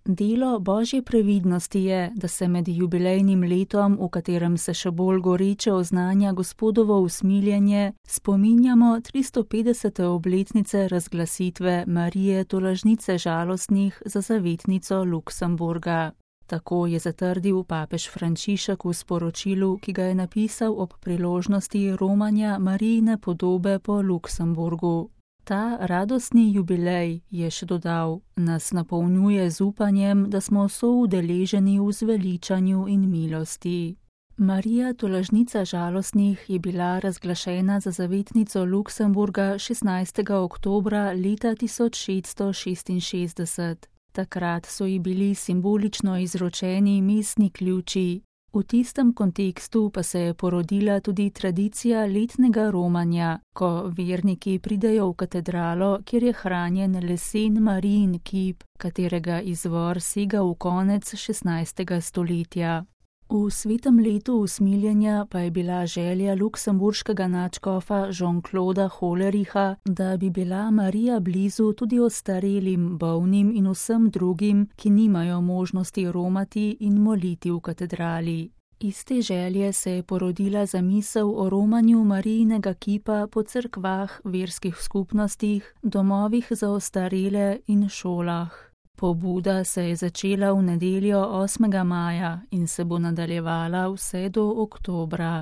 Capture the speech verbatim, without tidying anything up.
Delo Božje previdnosti je, da se med jubilejnim letom, v katerem se še bolj goreče oznanja Gospodovo usmiljenje, spominjamo tristopetdesete obletnice razglasitve Marije tolažnice žalostnih za zavetnico Luksemburga. Tako je zatrdil papež Frančišek v sporočilu, ki ga je napisal ob priložnosti romanja Marijine podobe po Luksemburgu. Ta radostni jubilej, je še dodal, nas napolnjuje z upanjem, da smo soudeleženi v zveličanju in milosti. Marija tolažnica žalostnih je bila razglašena za zavetnico Luksemburga šestnajstega oktobra leta tisoč šeststo šestinšestdeset. Takrat so ji bili simbolično izročeni mestni ključi. V tistem kontekstu pa se je porodila tudi tradicija letnega romanja, ko verniki pridejo v katedralo, kjer je hranjen lesen Marijin kip, katerega izvor sega v konec šestnajstega stoletja. V svetem letu usmiljenja pa je bila želja luksemburškega nadškofa Jean-Clauda Hollericha, da bi bila Marija blizu tudi ostarelim, bolnim in vsem drugim, ki nimajo možnosti romati in moliti v katedrali. Iz te želje se je porodila zamisel o romanju Marijinega kipa po cerkvah, verskih skupnostih, domovih za ostarele in šolah. Pobuda se je začela v nedeljo osmega maja in se bo nadaljevala vse do oktobra.